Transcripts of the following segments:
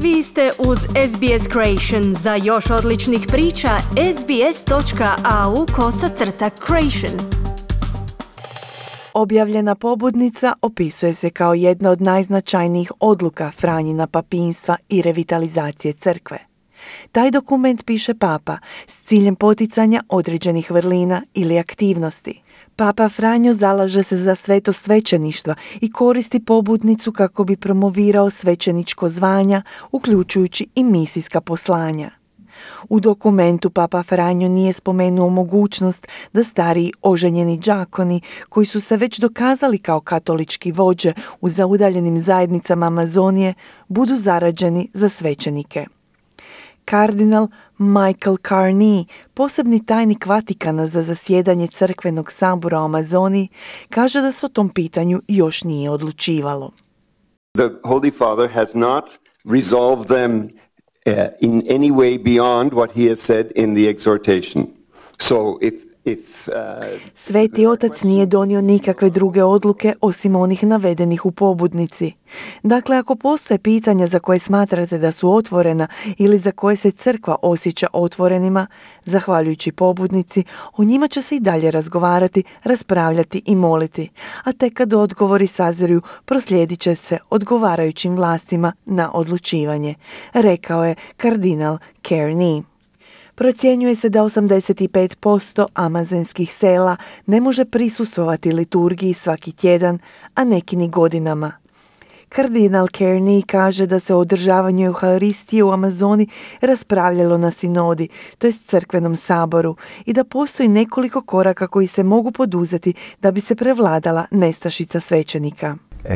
Vi ste uz SBS Creation. Za još odličnih priča, sbs.au/creation. Objavljena pobudnica opisuje se kao jedna od najznačajnijih odluka Franjina papinstva i revitalizacije crkve. Taj dokument piše Papa s ciljem poticanja određenih vrlina ili aktivnosti. Papa Franjo zalaže se za sveto svećeništva i koristi pobudnicu kako bi promovirao svećeničko zvanja, uključujući i misijska poslanja. U dokumentu Papa Franjo nije spomenuo mogućnost da stariji oženjeni đakoni, koji su se već dokazali kao katolički vođe u zaudaljenim zajednicama Amazonije, budu zarađeni za svećenike. Kardinal Michael Carney, posebni tajnik Vatikana za zasjedanje crkvenog sabora u Amazoniji, kaže da se o tom pitanju još nije odlučivalo. The Holy Father has not resolved them in any way beyond what he has said in the exhortation. So Sveti otac nije donio nikakve druge odluke osim onih navedenih u pobudnici. Dakle, ako postoje pitanja za koje smatrate da su otvorena ili za koje se crkva osjeća otvorenima, zahvaljujući pobudnici, o njima će se i dalje razgovarati, raspravljati i moliti, a tek kad odgovori sazriju, proslijedit će se odgovarajućim vlastima na odlučivanje, rekao je kardinal Carney. Procjenjuje se da 85% amazonskih sela ne može prisustvovati liturgiji svaki tjedan, a neki ni godinama. Kardinal Carney kaže da se o održavanju Euharistije u Amazoni raspravljalo na sinodi, to jest crkvenom saboru, i da postoji nekoliko koraka koji se mogu poduzeti da bi se prevladala nestašica svećenika.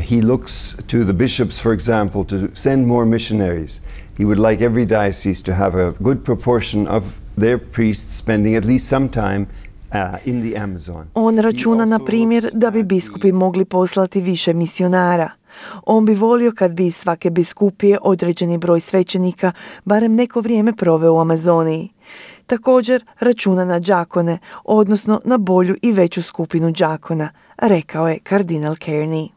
He looks to the bishops, for example, to send more missionaries. He would like every diocese to have a good proportion of their priests spending at least some time in the Amazon. On računa, na primjer, da bi biskupi mogli poslati više misionara. On bi volio kad bi iz svake biskupije određeni broj svećenika barem neko vrijeme proveo u Amazoniji. Također računa na đakone, odnosno na bolju i veću skupinu đakona, rekao je kardinal Carney.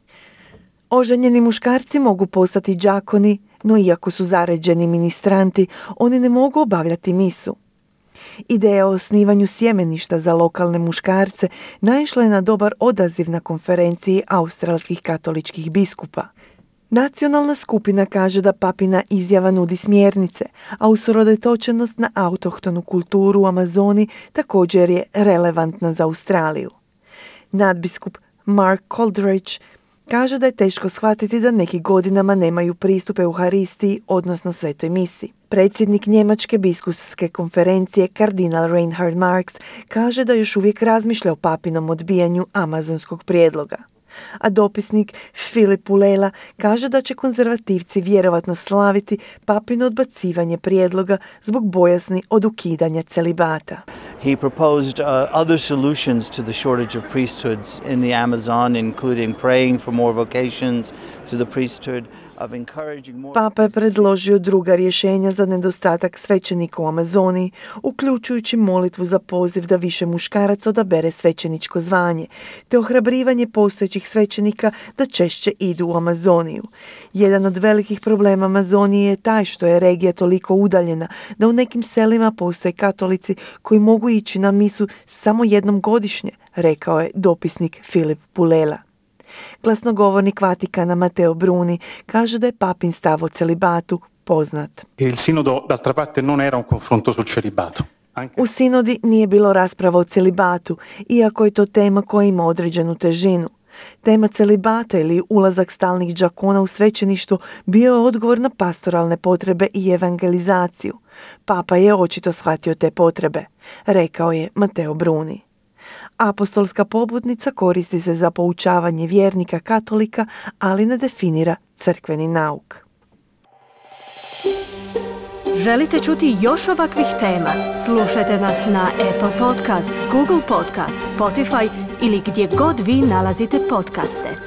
Oženjeni muškarci mogu postati đakoni, no iako su zaređeni ministranti, oni ne mogu obavljati misu. Ideja o osnivanju sjemeništa za lokalne muškarce naišla je na dobar odaziv na konferenciji australskih katoličkih biskupa. Nacionalna skupina kaže da papina izjava nudi smjernice, a usredotočenost na autohtonu kulturu u Amazoni također je relevantna za Australiju. Nadbiskup Mark Coldridge kaže da je teško shvatiti da neki godinama nemaju pristup Euharistiji, odnosno svetoj misi. Predsjednik Njemačke biskupske konferencije kardinal Reinhard Marx kaže da još uvijek razmišlja o papinom odbijanju amazonskog prijedloga. A dopisnik Filip Pulela kaže da će konzervativci vjerovatno slaviti papino odbacivanje prijedloga zbog bojazni od ukidanja celibata. He proposed other solutions to the shortage of priesthoods in the Amazon, including praying for more vocations to the priesthood, of encouraging more... Papa je predložio druga rješenja za nedostatak svećenika u Amazoniji, uključujući molitvu za poziv da više muškaraca odabere svećeničko zvanje, te ohrabrivanje postojećih svećenika da češće idu u Amazoniju. Jedan od velikih problema Amazonije je taj što je regija toliko udaljena da u nekim selima postoje katolici koji mogu ići na misu samo jednom godišnje, rekao je dopisnik Filip Pulela. Glasnogovornik Vatikana Matteo Bruni kaže da je papin stav o celibatu poznat. Il sinodo d'altra parte non era un confronto sul celibato. U sinodi nije bilo rasprava o celibatu, iako je to tema koja ima određenu težinu. Tema celibata ili ulazak stalnih đakona u svećeništvo bio je odgovor na pastoralne potrebe i evangelizaciju. Papa je očito shvatio te potrebe, rekao je Matteo Bruni. Apostolska pobudnica koristi se za poučavanje vjernika katolika, ali ne definira crkveni nauk. Želite čuti još ovakvih tema? Slušajte nas na Apple Podcast, Google Podcast, Spotify ili gdje god vi nalazite podcaste.